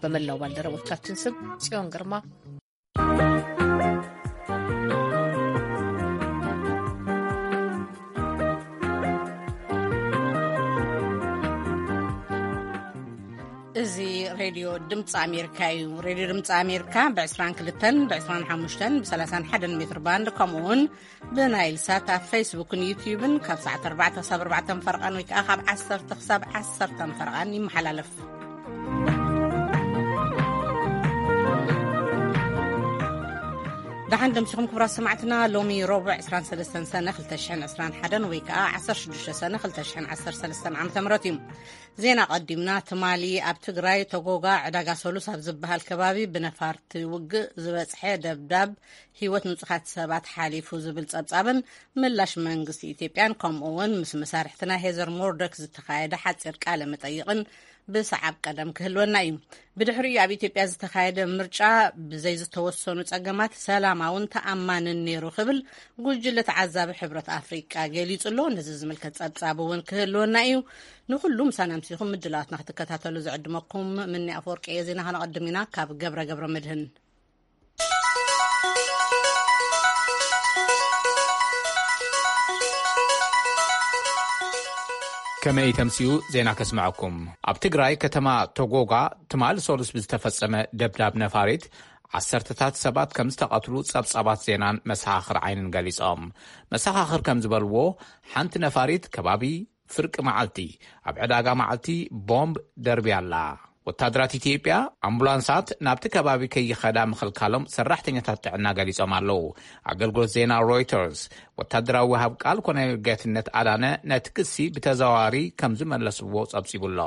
በመላው ባልደረቦቻችን ስም ጽዮን ግርማ። እዚ ሬድዮ ድምፂ ኣሜሪካ እዩ። ሬድዮ ድምፂ ኣሜሪካ ብ22ን ብ25ን ብ31 ሜትር ባንድ፣ ከምኡ እውን ብናይል ሳት ኣብ ፌስቡክን ዩትዩብን ካብ ሰዓት ኣርባዕተ ክሳብ ኣርባዕተ ፈረቓን ወይ ከዓ ካብ ዓሰርተ ክሳብ ዓሰርተ ፈረቓን ይመሓላለፍ። ደሓን ደምሲኹም ክቡራት ሰማዕትና። ሎሚ ረቡዕ ዕስራን ሰለስተን ሰነ ክልተ ሽሕን ዕስራን ሓደን ወይ ከዓ ዓሰርተ ሽዱሽተ ሰነ ክልተ ሽሕን ዓሰርተ ሰለስተን ዓመተ ምህረት እዩ። ዜና ቀዲምና። ትማሊ ኣብ ትግራይ ተጎጋ ዕዳጋ ሰሉስ ኣብ ዝበሃል ከባቢ ብነፋርቲ ውግእ ዝበፅሐ ደብዳብ ህይወት ንጹሃት ሰባት ሓሊፉ ዝብል ጸብጻብን ምላሽ መንግስቲ ኢትዮጵያን፣ ከምኡ እውን ምስ መሳርሕትና ሄዘር ሞርዶክ ዝተኻየደ ሓጺር ቃለ መጠይቕን ብሰዓብ ቀደም ክህልወና እዩ። ብድሕሪኡ ኣብ ኢትዮጵያ ዝተኻየደ ምርጫ ብዘይ ዝተወሰኑ ጸገማት ሰላማውን ተኣማንን ነይሩ ክብል ጉጅለ ተዓዛቢ ሕብረት ኣፍሪቃ ገሊጹ ኣሎ። ነዚ ዝምልከት ጸብጻብ እውን ክህልወና እዩ። ንኹሉ ምሳና ምሲኹም ምድላዋትና ክትከታተሉ ዝዕድመኩም ምኒ ኣፈወርቂ እየ። ዜና ከነቐድም ኢና ካብ ገብረ ገብረ መድህን። ከመይ ተምስዩ ዜና ከስምዐኩም። ኣብ ትግራይ ከተማ ቶጎጋ ትማሊ ሰሉስ ብዝተፈጸመ ደብዳብ ነፋሪት ዓሰርተታት ሰባት ከም ዝተቐትሉ ጸብጻባት ዜናን መሰኻኽር ዓይንን ገሊጾም። መሰኻኽር ከም ዝበልዎ፣ ሓንቲ ነፋሪት ከባቢ ፍርቂ መዓልቲ ኣብ ዕዳጋ መዓልቲ ቦምብ ደርብያ ኣላ። ወታደራት ኢትዮጵያ ኣምቡላንሳት ናብቲ ከባቢ ከይኸዳ ምኽልካሎም ሰራሕተኛታት ጥዕና ገሊጾም ኣለዉ። ኣገልግሎት ዜና ሮይተርስ ወታደራዊ ወሃብ ቃል ኮሎኔል ጌትነት ኣዳነ ነቲ ክሲ ብተዘዋዋሪ ከም ዝመለስዎ ጸብጺቡ ኣሎ።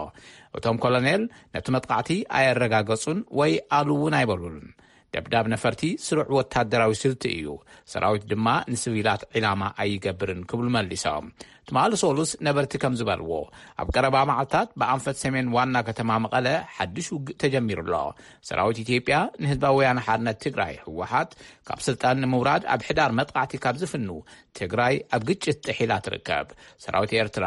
እቶም ኮሎኔል ነቲ መጥቃዕቲ ኣየረጋገጹን ወይ ኣሉ እውን ኣይበሉን። ደብዳብ ነፈርቲ ስሩዕ ወታደራዊ ስልቲ እዩ፣ ሰራዊት ድማ ንስቪላት ዒላማ ኣይገብርን ክብሉ መሊሶም። ትማሊ ሶሉስ ነበርቲ ከም ዝበልዎ፣ ኣብ ቀረባ መዓልታት ብኣንፈት ሰሜን ዋና ከተማ መቐለ ሓድሽ ውግእ ተጀሚሩ ኣሎ። ሰራዊት ኢትዮጵያ ንህዝባዊ ወያነ ሓርነት ትግራይ ህወሓት ካብ ስልጣን ንምውራድ ኣብ ሕዳር መጥቃዕቲ ካብ ዝፍኑ ትግራይ ኣብ ግጭት ጥሒላ ትርከብ። ሰራዊት ኤርትራ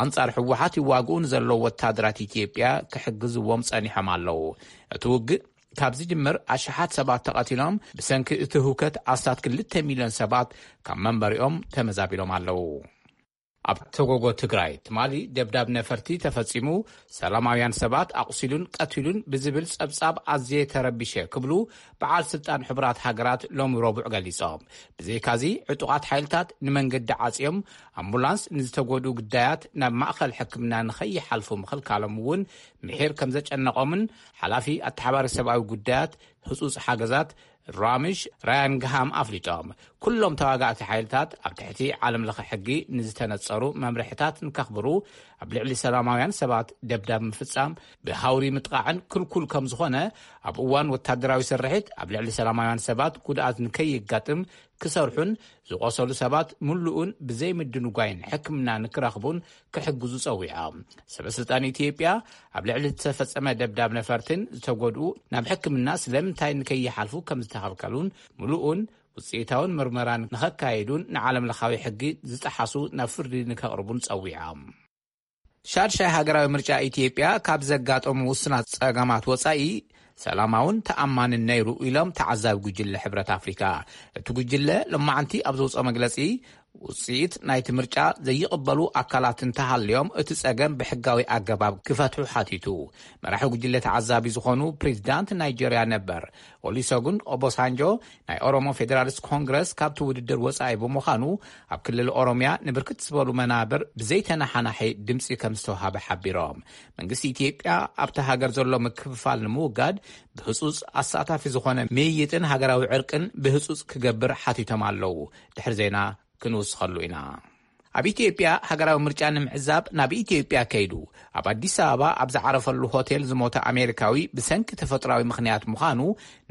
ኣንጻር ህወሓት ይዋግኡ ንዘለዉ ወታደራት ኢትዮጵያ ክሕግዝዎም ጸኒሖም ኣለዉ። እቲ ውግእ ካብ ዝጅምር ኣሽሓት ሰባት ተቐቲሎም፣ ብሰንኪ እቲ ህውከት ኣስታት ክልተ ሚልዮን ሰባት ካብ መንበሪኦም ተመዛቢሎም ኣለዉ። ኣብ ተጎጎ ትግራይ ትማሊ ደብዳብ ነፈርቲ ተፈጺሙ፣ ሰላማውያን ሰባት ኣቑሲሉን ቀቲሉን ብዝብል ጸብጻብ ኣዝየ ተረቢሸ ክብሉ በዓል ስልጣን ሕቡራት ሃገራት ሎሚ ረቡዕ ገሊጾም። ብዘይካዚ ዕጡቓት ሓይልታት ንመንገዲ ዓጽዮም ኣምቡላንስ ንዝተጎድኡ ግዳያት ናብ ማእኸል ሕክምና ንኸይሓልፉ ምኽልካሎም እውን ምሒር ከም ዘጨነቖምን ሓላፊ ኣተሓባሪ ሰብኣዊ ጉዳያት ህጹጽ ሓገዛት ራምሽ ራያን ግሃም ኣፍሊጦም። ኩሎም ተዋጋእቲ ሓይልታት ኣብ ትሕቲ ዓለም ለኸ ሕጊ ንዝተነጸሩ መምርሕታት ንከኽብሩ፣ ኣብ ልዕሊ ሰላማውያን ሰባት ደብዳብ ምፍጻም ብሃውሪ ምጥቓዕን ክልኩል ከም ዝኾነ፣ ኣብ እዋን ወታደራዊ ስርሒት ኣብ ልዕሊ ሰላማውያን ሰባት ጉድኣት ንከይጋጥም ክሰርሑን ዝቖሰሉ ሰባት ምሉእን ብዘይ ምድንጓይን ሕክምና ንክረኽቡን ክሕግዙ ጸዊዖም። ሰበ ስልጣን ኢትዮጵያ ኣብ ልዕሊ ዝተፈጸመ ደብዳብ ነፈርትን ዝተጎድኡ ናብ ሕክምና ስለምንታይ ንከይሓልፉ ከም ዝተኸልከሉን ምሉእን ውጽኢታውን ምርመራ ንኸካየዱን ንዓለም ለኻዊ ሕጊ ዝጠሓሱ ናብ ፍርዲ ንከቕርቡን ጸዊዖም። ሻድሻይ ሃገራዊ ምርጫ ኢትዮጵያ ካብ ዘጋጠሙ ውስናት ጸገማት ወጻኢ ሰላማውን ተኣማንን ነይሩ ኢሎም ተዓዛቢ ጉጅለ ሕብረት ኣፍሪካ። እቲ ጉጅለ ሎማዓንቲ ኣብ ዘውፅኦ መግለፂ፣ ውፅኢት ናይቲ ምርጫ ዘይቕበሉ ኣካላት እንተሃልዮም እቲ ጸገም ብሕጋዊ ኣገባብ ክፈትሑ ሓቲቱ። መራሒ ጉጅለ ተዓዛቢ ዝኾኑ ፕሬዚዳንት ናይጄርያ ነበር ኦሊሰጉን ኦቦሳንጆ ናይ ኦሮሞ ፌዴራሊስት ኮንግረስ ካብቲ ውድድር ወጻኢ ብምዃኑ፣ ኣብ ክልል ኦሮምያ ንብርክት ዝበሉ መናብር ብዘይተነሓናሒ ድምፂ ከም ዝተውሃበ ሓቢሮም። መንግስቲ ኢትዮጵያ ኣብቲ ሃገር ዘሎ ምክፍፋል ንምውጋድ ብህጹጽ ኣሳታፊ ዝኾነ ምይይጥን ሃገራዊ ዕርቅን ብህጹጽ ክገብር ሓቲቶም ኣለዉ። ድሕሪ ዜና ክንውስኸሉ ኢና። ኣብ ኢትዮጵያ ሃገራዊ ምርጫ ንምዕዛብ ናብ ኢትዮጵያ ከይዱ ኣብ ኣዲስ ኣበባ ኣብ ዝዓረፈሉ ሆቴል ዝሞተ ኣሜሪካዊ ብሰንኪ ተፈጥሯዊ ምኽንያት ምዃኑ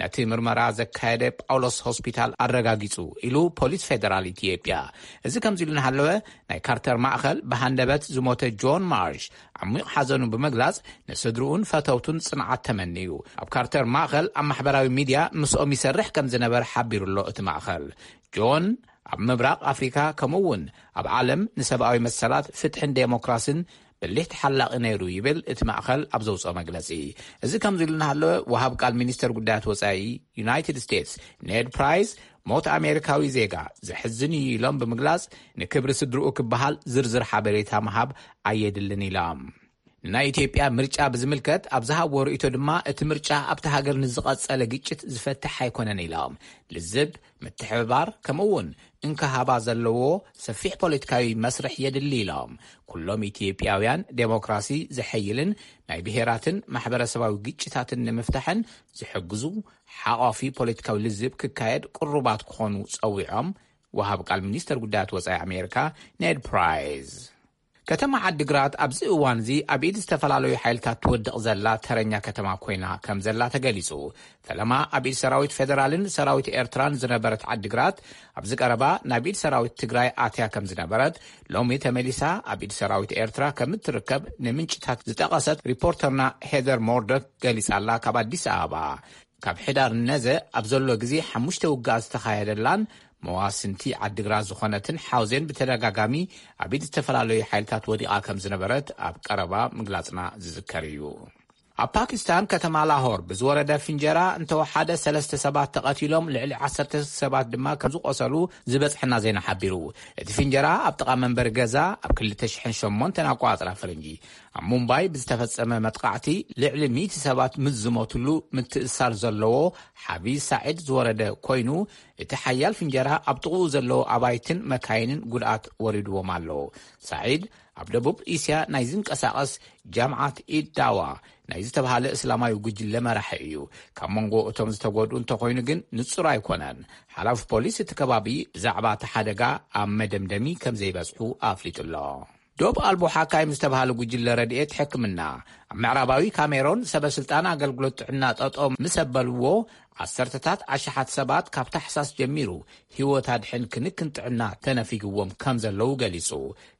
ነቲ ምርመራ ዘካየደ ጳውሎስ ሆስፒታል ኣረጋጊጹ ኢሉ ፖሊስ ፌደራል ኢትዮጵያ። እዚ ከምዚ ኢሉ እናሃለወ፣ ናይ ካርተር ማእኸል ብሃንደበት ዝሞተ ጆን ማርሽ ዓሚቕ ሓዘኑ ብምግላጽ፣ ንስድርኡን ፈተውቱን ጽንዓት ተመንዩ። ኣብ ካርተር ማእኸል ኣብ ማሕበራዊ ሚድያ ምስኦም ይሰርሕ ከም ዝነበረ ሓቢሩ ኣሎ እቲ ማእኸል። ጆን ኣብ ምብራቕ ኣፍሪካ ከምኡ እውን ኣብ ዓለም ንሰብኣዊ መሰላት፣ ፍትሕን ዴሞክራስን ብሊሕ ተሓላቒ ነይሩ ይብል እቲ ማእኸል ኣብ ዘውፅኦ መግለፂ። እዚ ከምዚ ኢሉ እናሃለወ፣ ወሃብ ቃል ሚኒስተር ጉዳያት ወፃኢ ዩናይትድ ስቴትስ ኔድ ፕራይስ፣ ሞት ኣሜሪካዊ ዜጋ ዘሕዝን እዩ ኢሎም ብምግላፅ፣ ንክብሪ ስድርኡ ክበሃል ዝርዝር ሓበሬታ ምሃብ ኣየድልን ኢሎም። ንናይ ኢትዮጵያ ምርጫ ብዝምልከት ኣብ ዝሃብዎ ርእይቶ ድማ፣ እቲ ምርጫ ኣብቲ ሃገር ንዝቐጸለ ግጭት ዝፈትሕ ኣይኮነን ኢሎም። ልዝብ፣ ምትሕብባር፣ ከምኡ እውን እንክሃባ ዘለዎ ሰፊሕ ፖለቲካዊ መስርሕ የድሊ ኢሎም። ኩሎም ኢትዮጵያውያን ዴሞክራሲ ዘሐይልን ናይ ብሄራትን ማሕበረሰባዊ ግጭታትን ንምፍታሕን ዝሕግዙ ሓቋፊ ፖለቲካዊ ልዝብ ክካየድ ቅሩባት ክኾኑ ጸዊዖም፣ ወሃብ ቃል ሚኒስተር ጉዳያት ወጻኢ ኣሜሪካ ኔድ ፕራይስ። ከተማ ዓዲግራት ኣብዚ እዋን እዚ ኣብ ኢድ ዝተፈላለዩ ሓይልታት ትወድቕ ዘላ ተረኛ ከተማ ኮይና ከም ዘላ ተገሊጹ። ፈለማ ኣብ ኢድ ሰራዊት ፌደራልን ሰራዊት ኤርትራን ዝነበረት ዓዲግራት፣ ኣብዚ ቀረባ ናብ ኢድ ሰራዊት ትግራይ ኣትያ ከም ዝነበረት፣ ሎሚ ተመሊሳ ኣብ ኢድ ሰራዊት ኤርትራ ከም እትርከብ ንምንጭታት ዝጠቐሰት ሪፖርተርና ሄደር ሞርዶክ ገሊጻ ኣላ ካብ ኣዲስ ኣበባ። ካብ ሕዳር ነዘ ኣብ ዘሎ ግዜ ሓሙሽተ ውግኣት ዝተኻየደላን መዋስንቲ ዓዲግራት ዝኾነትን ሓውዜን ብተደጋጋሚ ኣብ ኢድ ዝተፈላለዩ ሓይልታት ወዲቓ ከም ዝነበረት ኣብ ቀረባ ምግላጽና ዝዝከር እዩ። ኣብ ፓኪስታን ከተማ ላሆር ብዝወረደ ፍንጀራ እንተወሓደ ሰለስተ ሰባት ተቐቲሎም፣ ልዕሊ ዓሰርተ ሰባት ድማ ከም ዝቆሰሉ ዝበጽሐና ዜና ሓቢሩ። እቲ ፍንጀራ ኣብ ጥቓ መንበሪ ገዛ ኣብ ክልተ ሽሕን ሸሞንተን ኣቆጻጽራ ፈረንጂ ኣብ ሙምባይ ብዝተፈጸመ መጥቃዕቲ ልዕሊ ሚእቲ ሰባት ምስ ዝሞትሉ ምትእስሳር ዘለዎ ሓፊዝ ሳዒድ ዝወረደ ኮይኑ፣ እቲ ሓያል ፍንጀራ ኣብ ጥቕኡ ዘለዉ ኣባይትን መካይንን ጉድኣት ወሪድዎም ኣሎ። ሳዒድ ኣብ ደቡብ እስያ ናይ ዝንቀሳቐስ ጃምዓት ኢድ ዳዋ ናይ ዝተባህለ እስላማዊ ጉጅለ መራሒ እዩ። ካብ መንጎ እቶም ዝተጎድኡ እንተኾይኑ ግን ንጹር ኣይኮነን። ሓላፊ ፖሊስ እቲ ከባቢ ብዛዕባ እቲ ሓደጋ ኣብ መደምደሚ ከም ዘይበጽሑ ኣፍሊጡ ኣሎ። ዶብ ኣልቦ ሓካይም ዝተባህለ ጉጅለ ረድኤት ሕክምና ኣብ ምዕራባዊ ካሜሮን ሰበ ስልጣን ኣገልግሎት ጥዕና ጠጠው ምስ ኣበልዎ፣ ዓሰርተታት ኣሽሓት ሰባት ካብ ታሕሳስ ጀሚሩ ህይወት ኣድሕን ክንክን ጥዕና ተነፊግዎም ከም ዘለዉ ገሊጹ።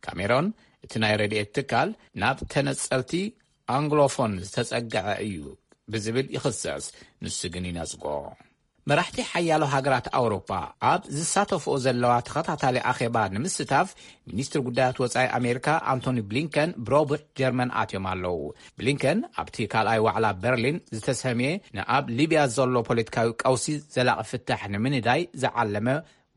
ካሜሮን እቲ ናይ ረድኤት ትካል ናብ ተነጸልቲ ኣንግሎፎን ዝተጸግዐ እዩ ብዝብል ይኽሰስ፣ ንሱ ግን ይነጽጎ። መራሕቲ ሓያሎ ሃገራት ኣውሮፓ ኣብ ዝሳተፍኦ ዘለዋ ተኸታታሊ ኣኼባ ንምስታፍ፣ ሚኒስትሪ ጉዳያት ወጻኢ ኣሜሪካ ኣንቶኒ ብሊንከን ብረቡዕ ጀርመን ኣትዮም ኣለዉ። ብሊንከን ኣብቲ ካልኣይ ዋዕላ በርሊን ዝተሰምየ ንኣብ ሊብያ ዘሎ ፖለቲካዊ ቀውሲ ዘላቒ ፍታሕ ንምንዳይ ዝዓለመ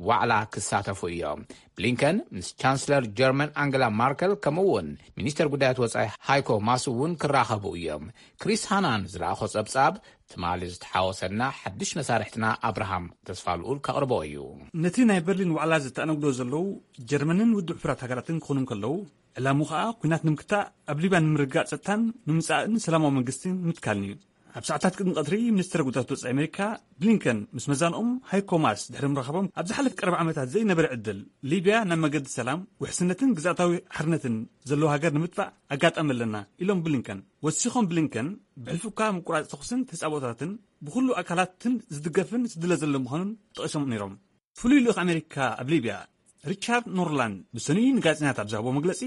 ዋዕላ ክሳተፉ እዮም። ብሊንከን ምስ ቻንስለር ጀርመን ኣንገላ ማርከል ከምኡ እውን ሚኒስተር ጉዳያት ወጻኢ ሃይኮ ማስ እውን ክራኸቡ እዮም። ክሪስ ሃናን ዝለኣኾ ጸብጻብ ትማሊ ዝተሓወሰና ሓድሽ መሳርሕትና ኣብርሃም ተስፋልኡል ከቕርቦ እዩ። ነቲ ናይ በርሊን ዋዕላ ዝተኣነግዶ ዘለዉ ጀርመንን ውድብ ሕቡራት ሃገራትን ክኾኑ እንከለዉ፣ ዕላሙ ኸኣ ኲናት ንምክታእ፣ ኣብ ሊብያ ንምርግጋእ ጸጥታን ንምጻእን ሰላማዊ መንግስቲ ንምትካልን እዩ። ኣብ ሰዓታት ቅድሚ ቀትሪ ሚኒስትር ጉዳያት ወጻኢ ኣሜሪካ ብሊንከን ምስ መዛንኦም ሃይኮ ማስ ድሕሪ ምርኻቦም፣ ኣብ ዝሓለፈ ቀረባ ዓመታት ዘይነበረ ዕድል ሊብያ ናብ መገዲ ሰላም፣ ውሕስነትን ግዝኣታዊ ሓርነትን ዘለዎ ሃገር ንምጥፋእ ኣጋጣሚ ኣለና ኢሎም ብሊንከን። ወሲኾም ብሊንከን፣ ብሕልፊ እኳ ምቁራጽ ተኹስን ተጻቦታትን ብኹሉ ኣካላትን ዝድገፍን ዝድለ ዘሎ ምዃኑን ጠቒሶም ነይሮም። ፍሉይ ልኡኽ ኣሜሪካ ኣብ ሊብያ ሪቻርድ ኖርላንድ ብሰኑይ ንጋዜጠኛታት ኣብ ዝሃቦ መግለጺ፣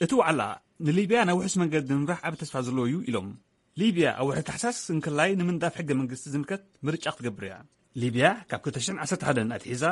እቲ ዋዕላ ንሊብያ ናብ ውሑስ መንገዲ ንምምራሕ ዓቢ ተስፋ ዘለዎ እዩ ኢሎም። ሊብያ ኣብ ወርሒ ታሕሳስ እንክላይ ንምንዳፍ ሕገ መንግስቲ ዝምልከት ምርጫ ክትገብር እያ። ሊብያ ካብ ክልተ ሽሕን ዓሰርተ ሓደን ኣትሒዛ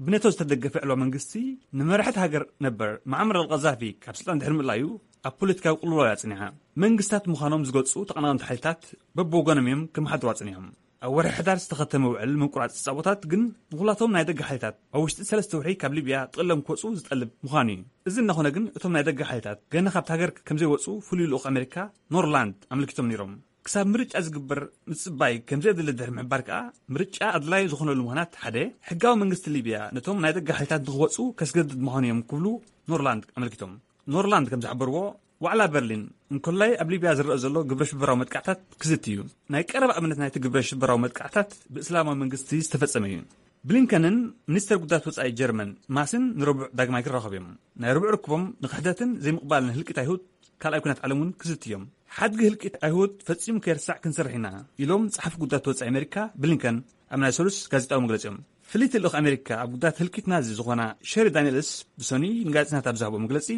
ብኔቶ ዝተደገፈ ዕልዋ መንግስቲ ንመራሒ እቲ ሃገር ነበር መዓመር ኣልቀዛፊ ካብ ስልጣን ድሕሪ ምእላዩ ኣብ ፖለቲካዊ ቅልውላው እያ ጽኒሓ። መንግስታት ምዃኖም ዝገልጹ ተቐናቐንቲ ሓይልታት በብወገኖም እዮም ክመሓድሩ ኣጽኒሖም። ኣብ ወርሒ ሕዳር ዝተኸተመ ውዕል ምቁራጽ ጸቦታት ግን ንኹላቶም ናይ ደገ ሓይልታት ኣብ ውሽጢ ሰለስተ ወርሒ ካብ ሊብያ ጥቕሎም ክወጹ ዝጠልብ ምዃኑ እዩ። እዚ እናኾነ ግን እቶም ናይ ደገ ሓይልታት ገና ካብቲ ሃገር ከም ዘይወጹ ፍሉይ ልኡኽ ኣሜሪካ ኖርላንድ ኣመልኪቶም ነይሮም። ክሳብ ምርጫ ዝግበር ምጽባይ ከም ዘየድሊ ድሕሪ ምሕባር ከኣ፣ ምርጫ ኣድላዪ ዝኾነሉ ምኽንያት ሓደ፣ ሕጋዊ መንግስቲ ሊብያ ነቶም ናይ ደገ ሓይልታት ንኽወጹ ከስገድድ ምዃኑ እዮም ክብሉ ኖርላንድ ኣመልኪቶም። ኖርላንድ ከም ዝሓበርዎ፣ ዋዕላ በርሊን እንኮላይ ኣብ ሊብያ ዝረአ ዘሎ ግብረ ሽበራዊ መጥቃዕታት ክዝቲ እዩ። ናይ ቀረባ ኣብነት ናይቲ ግብረ ሽበራዊ መጥቃዕታት ብእስላማዊ መንግስቲ ዝተፈጸመ እዩ። ብሊንከንን ሚኒስተር ጉዳያት ወጻኢ ጀርመን ማስን ንረቡዕ ዳግማይ ክራኸቡ እዮም። ናይ ረቡዕ ርክቦም ንክሕደትን ዘይምቕባልን ህልቂት ኣይሁድ ካልኣይ ኲናት ዓለም እውን ክዝቲ እዮም። ሓድጊ ህልቂት ኣይሁድ ፈጺሙ ከይርሳዕ ክንሰርሕ ኢና ኢሎም ጸሓፊ ጉዳያት ወጻኢ ኣሜሪካ ብሊንከን ኣብ ናይ ሰሉስ ጋዜጣዊ መግለጺኦም። ፍልይቲ ልኡኽ ኣሜሪካ ኣብ ጉዳያት ህልቂት ናዚ ዝኾና ሸሪ ዳንኤልስ ብሰኑይ ንጋዜጠኛታት ኣብ ዝሃቦ መግለጺ፣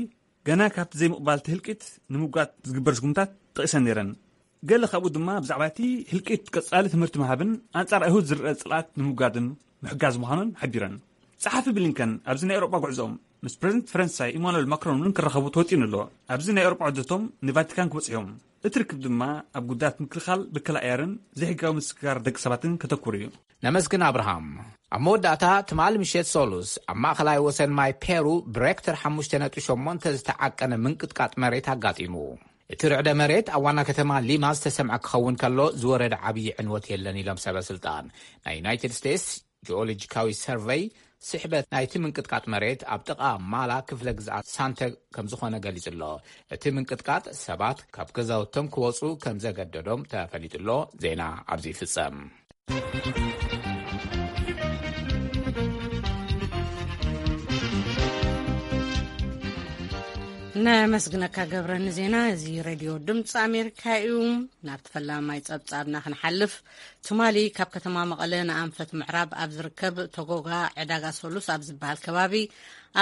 ገና ካብቲ ዘይምቕባል እቲ ህልቂት ንምውጋድ ዝግበር ስጉምታት ጠቒሰን ነይረን። ገለ ካብኡ ድማ ብዛዕባ እቲ ህልቂት ቀጻሊ ትምህርቲ ምሃብን ኣንጻር ኣይሁድ ዝረአ ጽልኣት ንምውጋድን ምሕጋዝ ምዃኑን ሓቢረን። ጸሓፊ ብሊንከን ኣብዚ ናይ ኤውሮጳ ጉዕዞኦም ምስ ፕረዚደንት ፈረንሳይ ኢማኑኤል ማክሮን እውን ክራኸቡ ተወጢኑ ኣሎ። ኣብዚ ናይ ኤውሮጳ ዑደቶም ንቫቲካን ክበጽሑ እዮም። እቲ ርክብ ድማ ኣብ ጉዳያት ምክልኻል፣ ብከላ ኣየርን ዘይሕጋዊ ምስግጋር ደቂ ሰባትን ከተኩር እዩ። ነመስግን ኣብርሃም። ኣብ መወዳእታ ትማሊ ምሸት ሰሉስ ኣብ ማእኸላይ ወሰን ማይ ፔሩ ብሬክተር ሓሙሽተ ነጥቢ ሸሞንተ ዝተዓቀነ ምንቅጥቃጥ መሬት ኣጋጢሙ። እቲ ርዕደ መሬት ኣብ ዋና ከተማ ሊማ ዝተሰምዐ ክኸውን ከሎ ዝወረደ ዓብዪ ዕንወት የለን ኢሎም ሰበ ስልጣን። ናይ ዩናይትድ ስቴትስ ጂኦሎጂካዊ ሰርቨይ ስሕበት ናይቲ ምንቅጥቃጥ መሬት ኣብ ጥቓ ማላ ክፍለ ግዝኣት ሳንተ ከም ዝኾነ ገሊጹ ኣሎ። እቲ ምንቅጥቃጥ ሰባት ካብ ገዛውቶም ክወጹ ከም ዘገደዶም ተፈሊጡ ኣሎ። ዜና ኣብዚ ይፍጸም። ነመስግነካ ገብረ ንዜና። እዚ ሬድዮ ድምፂ ኣሜሪካ እዩ። ናብቲ ፈላማይ ጸብጻብና ክንሓልፍ፣ ትማሊ ካብ ከተማ መቐለ ንኣንፈት ምዕራብ ኣብ ዝርከብ ተጎጋ ዕዳጋ ሰሉስ ኣብ ዝበሃል ከባቢ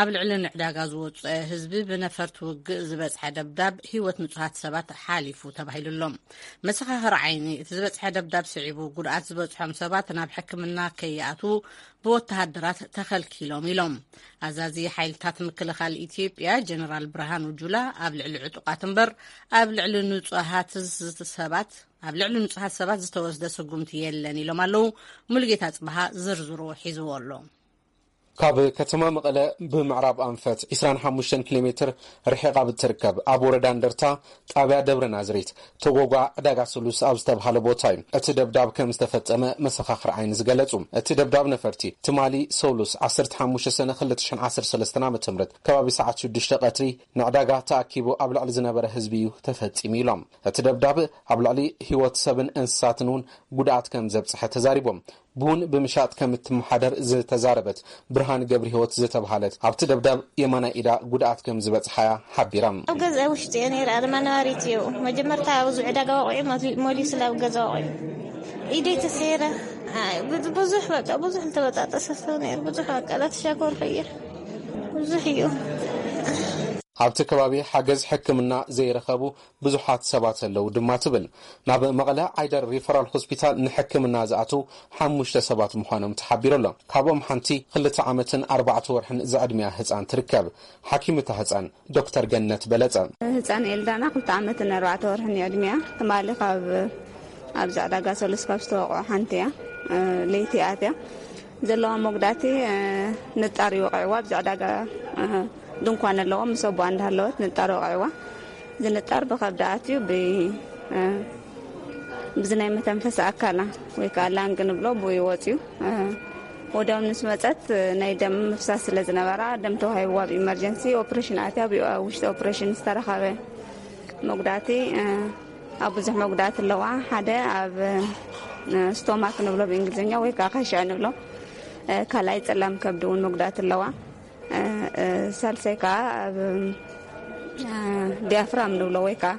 ኣብ ልዕሊ ንዕዳጋ ዝወፀ ህዝቢ ብነፈርቲ ውግእ ዝበፅሐ ደብዳብ ህይወት ንጹሃት ሰባት ሓሊፉ ተባሂሉ ኣሎ። መሰኻኽር ዓይኒ እቲ ዝበፅሐ ደብዳብ ስዒቡ ጉድኣት ዝበፅሖም ሰባት ናብ ሕክምና ከይኣትዉ ብወተሃደራት ተኸልኪሎም ኢሎም። ኣዛዚ ሓይልታት ምክልኻል ኢትዮጵያ ጀነራል ብርሃኑ ጁላ ኣብ ልዕሊ ዕጡቓት እምበር ኣብ ልዕሊ ንጹሃት ሰባት ኣብ ልዕሊ ንጹሃት ሰባት ዝተወስደ ስጉምቲ የለን ኢሎም ኣለዉ። ሙሉጌታ ጽብሃ ዝርዝሩ ሒዝዎ ኣሎ። ካብ ከተማ መቐለ ብምዕራብ ኣንፈት ዕስራን ሓሙሽተን ኪሎ ሜትር ርሒቓ ብትርከብ ኣብ ወረዳ እንደርታ ጣብያ ደብረ ናዝሬት ተጎጓ ዕዳጋ ስሉስ ኣብ ዝተብሃለ ቦታ እዩ እቲ ደብዳብ ከም ዝተፈጸመ መሰኻኽር ዓይኒ ዝገለጹ። እቲ ደብዳብ ነፈርቲ ትማሊ ሰሉስ ዓሰርተ ሓሙሽተ ሰነ ክልተ ሽሕን ዓሰርተ ሰለስተን ዓመተ ምህረት ከባቢ ሰዓት ሽዱሽተ ቀትሪ ንዕዳጋ ተኣኪቡ ኣብ ልዕሊ ዝነበረ ህዝቢ እዩ ተፈጺሙ ኢሎም። እቲ ደብዳብ ኣብ ልዕሊ ህይወት ሰብን እንስሳትን እውን ጉድኣት ከም ዘብጽሐ ተዛሪቦም። ቡን ብምሻጥ ከም እትመሓደር ዝተዛረበት ብርሃን ገብረህይወት ዝተብሃለት ኣብቲ ደብዳብ የማናይ ኢዳ ጉድኣት ከም ዝበጽሓያ ሓቢራ። ኣብ ገዛ ውሽጢ እየ ነይረ፣ ኣድማ ነባሪት እዩ። መጀመርታ ኣብዚ ዕዳጋ ወቂዑ መሊ- መሊሱ ናብ ገዛ ወቂዑ ኢደይ ተሰይረ። ኣይ፣ ብዙ- ብዙሕ በቃ ብዙሕ ዝተበጣጠሰ ሰብ ነይሩ። ብዙሕ በቃ ላተሻኮር ኸይር ብዙሕ እዩ። ኣብቲ ከባቢ ሓገዝ ሕክምና ዘይረኸቡ ብዙሓት ሰባት ኣለዉ ድማ ትብል። ናብ መቐለ ዓይደር ሪፈራል ሆስፒታል ንሕክምና ዝኣተዉ ሓሙሽተ ሰባት ምዃኖም ተሓቢሩ ኣሎ። ካብኦም ሓንቲ ክልተ ዓመትን ኣርባዕተ ወርሕን ዝዕድሚያ ህፃን ትርከብ። ሓኪም እታ ህፃን ዶክተር ገነት በለፀ። ህፃን ኤልዳና ክልተ ዓመትን ኣርባዕተ ወርሕን እዩ ዕድሚያ። ትማሊ ካብ ኣብዚ ዕዳጋ ሰሉስ ካብ ዝተወቕዑ ሓንቲ እያ። ለይቲ ኣትያ ዘለዋ መጉዳእቲ ንጣር ይወቕዕዋ። ኣብዚ ዕዳጋ ድንኳን ኣለዎ። ምስ ኣቦኣ እንዳሃለወት ንጣር ወቕዕዋ። እዚ ንጣር ብኸብዳ ኣትዩ ብ- ብዚ ናይ መተንፈሲ ኣካላ ወይ ከዓ ላንግ ንብሎ ብኡ ወፅዩ። ወዲያው ምስ መፀት ናይ ደም ምፍሳስ ስለ ዝነበራ ደም ተዋሂብዋ። ኣብ ኢመርጀንሲ ኦፕሬሽን ኣትያ ኣብ ውሽጢ ኦፕሬሽን ዝተረኸበ መጉዳእቲ ኣብ ብዙሕ መጉዳእቲ ኣለዋ። ሓደ ኣብ ስቶማክ ንብሎ ብእንግሊዝኛ ወይ ከዓ ካሽዕ ንብሎ፣ ካልኣይ ፀላም ከብዲ እውን መጉዳእቲ ኣለዋ። ሳልሳይ ከዓ ኣብ ዲያፍራም ንብሎ ወይ ከዓ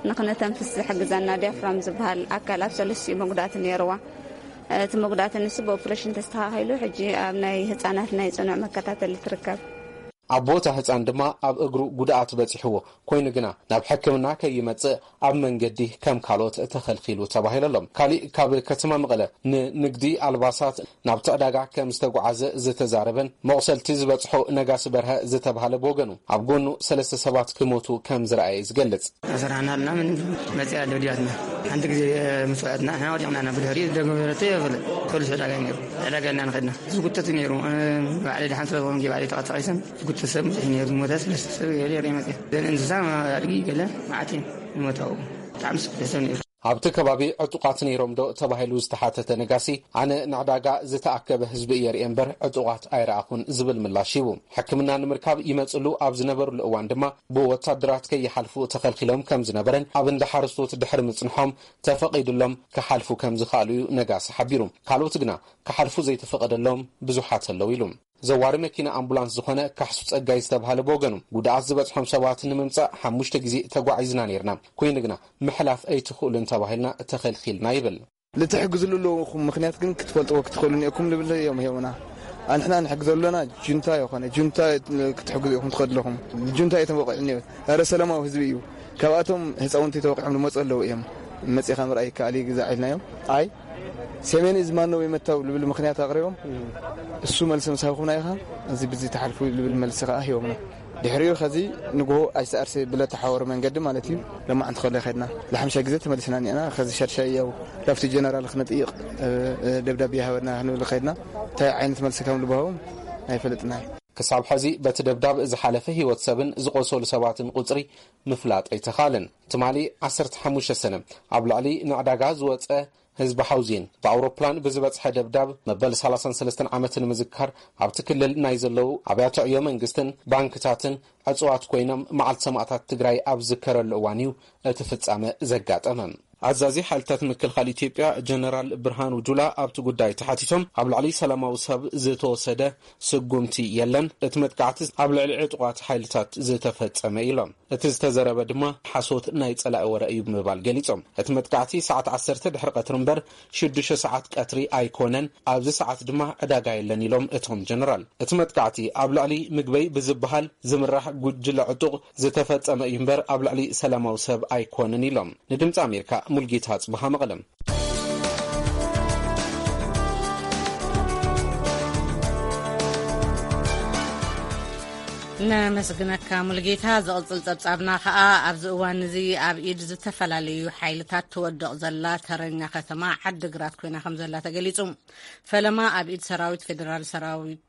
ንክነተንፍስ ዝሕግዘና ዲያፍራም ዝበሃል ኣካል ኣብ ሰለስቲኡ መጉዳእቲ ነይርዋ። እቲ መጉዳእቲ ንሱ ብኦፕሬሽን ተስተኻኺሉ ሕጂ ኣብ ናይ ህፃናት ናይ ፅኑዕ መከታተሊ ትርከብ። ኣቦ እታ ህፃን ድማ ኣብ እግሩ ጉድኣት በፂሕዎ ኮይኑ ግና ናብ ሕክምና ከይመፅእ ኣብ መንገዲ ከም ካልኦት ተኸልኪሉ ተባሂሉ ኣሎ። ካሊእ ካብ ከተማ መቐለ ንንግዲ ኣልባሳት ናብቲ ዕዳጋ ከም ዝተጓዓዘ ዝተዛረበን መቑሰልቲ ዝበፅሖ ነጋሲ በርሀ ዝተባሃለ ብወገኑ ኣብ ጎኑ ሰለስተ ሰባት ክሞቱ ከም ዝረኣየ ዝገልፅ። ኣሰራሕና ኣለና ምን መፅያ ደብዲባትና ሓንቲ ግዜ ምስ ወዐትና ንሕና ወዲቕና ኢና ብድሕሪኡ ዝደገበረቶ የብለ ፖሊስ ዕዳጋ እዩ ነይሩ ዕዳጋ ኢልና ንኸድና ዝጉተት እዩ ነይሩ። ባዕለይ ደሓን ስለዝኾንኩ ባዕለይ ተቐሳቒሰን ዝጉተት ሰብ ብዙሕ እዩ ነይሩ። ዝሞተ ሰለስተ ሰብ ገለ ይርኢ መፅያ ዘን እንስሳ ኣድጊ ገለ መዓት እዮም ዝሞታው ብጣዕሚ ስፍሕ ሰብ ነይሩ። ኣብቲ ከባቢ ዕጡቓት ነይሮም ዶ ተባሂሉ ዝተሓተተ ነጋሲ ኣነ ንዕዳጋ ዝተኣከበ ህዝቢ እየ ርእየ እምበር ዕጡቓት ኣይረኣኹን ዝብል ምላሽ ሂቡ። ሕክምና ንምርካብ ይመፅሉ ኣብ ዝነበርሉ እዋን ድማ ብወታደራት ከይሓልፉ ተኸልኪሎም ከም ዝነበረን ኣብ እንዳ ሓረስቶት ድሕሪ ምፅንሖም ተፈቒዱሎም ክሓልፉ ከም ዝኸኣሉ እዩ ነጋሲ ሓቢሩ። ካልኦት ግና ክሓልፉ ዘይተፈቐደሎም ብዙሓት ኣለዉ ኢሉ። ዘዋሪ መኪና ኣምቡላንስ ዝኾነ ካሕሱ ጸጋይ ዝተባህለ ብወገኑ ጉድኣት ዝበጽሖም ሰባት ንምምጻእ ሓሙሽተ ግዜ ተጓዒዝና ነይርና፣ ኮይኑ ግና ምሕላፍ ኣይትኽእሉን ተባሂልና ተኸልኪልና ይብል። ልትሕግዝሉ ኣለኹም ምኽንያት ግን ክትፈልጥዎ ክትኽእሉ እኒኦኩም ልብል እዮም ሂቦና። ኣንሕና ንሕግዘሉ ኣለና ጁንታ ይኾነ ጁንታ ክትሕግዙ ኢኹም ትኸዱ ኣለኹም። ጁንታ እዩ ተወቂዑ እኒኦ። ኧረ ሰላማዊ ህዝቢ እዩ። ካብኣቶም ህፃውንቲ ተወቂዖም ዝመፁ ኣለዉ እዮም። መፂኻ ምርኣይ ይከኣል እዩ ግዛዕ ኢልናዮም። ኣይ ሰሜን እዝ ማን ነው የመታው ልብል ምክንያት ኣቕሪቦም፣ እሱ መልሲ ምስ ሃብኩምና ኢኻ፣ እዚ ብዚ ተሓልፉ ልብል መልሲ ከዓ ሂቦምና። ድሕሪኡ ከዚ ንግሆ ኣይሰኣርሲ ብለ ተሓወሩ መንገዲ ማለት እዩ። ለማዕንቲ ከሎ ከድና ለሓምሻ ግዜ ተመልስና እኒና። ከዚ ሻድሻይ ያው ላፍቲ ጀነራል ክነጥይቕ ደብዳቤ ይሃበና ክንብል ከድና። እንታይ ዓይነት መልሲ ከም ልባሃቦም ኣይፈልጥና እዩ። ክሳብ ሕዚ በቲ ደብዳብ ዝሓለፈ ህይወት ሰብን ዝቆሰሉ ሰባትን ቁፅሪ ምፍላጥ ኣይተኻልን። ትማሊ ዓሰርተ ሓሙሽተ ሰነ ኣብ ልዕሊ ንዕዳጋ ዝወፀ ህዝቢ ሓውዜን ብኣውሮፕላን ብዝበፅሐ ደብዳብ መበል ሰላሳን ሰለስተን ዓመት ንምዝካር ኣብቲ ክልል ናይ ዘለዉ ኣብያተ ዕዮ መንግስትን ባንክታትን ዕፅዋት ኮይኖም መዓልቲ ሰማእታት ትግራይ ኣብ ዝከረሉ እዋን እዩ እቲ ፍጻመ ዘጋጠመ። ኣዛዚ ሓይልታት ምክልኻል ኢትዮጵያ ጀነራል ብርሃኑ ጁላ ኣብቲ ጉዳይ ተሓቲቶም ኣብ ልዕሊ ሰላማዊ ሰብ ዝተወሰደ ስጉምቲ የለን፣ እቲ መጥቃዕቲ ኣብ ልዕሊ ዕጡቓት ሓይልታት ዝተፈጸመ ኢሎም። እቲ ዝተዘረበ ድማ ሓሶት ናይ ጸላኢ ወረ እዩ ብምባል ገሊጾም። እቲ መጥቃዕቲ ሰዓት ዓሰርተ ድሕሪ ቀትሪ እምበር ሽዱሽተ ሰዓት ቀትሪ ኣይኮነን፣ ኣብዚ ሰዓት ድማ ዕዳጋ የለን ኢሎም እቶም ጀነራል። እቲ መጥቃዕቲ ኣብ ልዕሊ ምግበይ ብዝበሃል ዝምራሕ ጉጅለ ዕጡቕ ዝተፈጸመ እዩ እምበር ኣብ ልዕሊ ሰላማዊ ሰብ ኣይኮነን ኢሎም። ንድምፂ ኣሜሪካ ሙልጌታ ኣጽብሃ መቐለም። ነመስግነካ ሙልጌታ። ዝቕጽል ጸብጻብና ከኣ ኣብዚ እዋን እዚ ኣብ ኢድ ዝተፈላለዩ ሓይልታት ትወድቕ ዘላ ተረኛ ከተማ ዓድግራት ኮይና ከም ዘላ ተገሊጹ። ፈለማ ኣብ ኢድ ሰራዊት ፌደራል ሰራዊት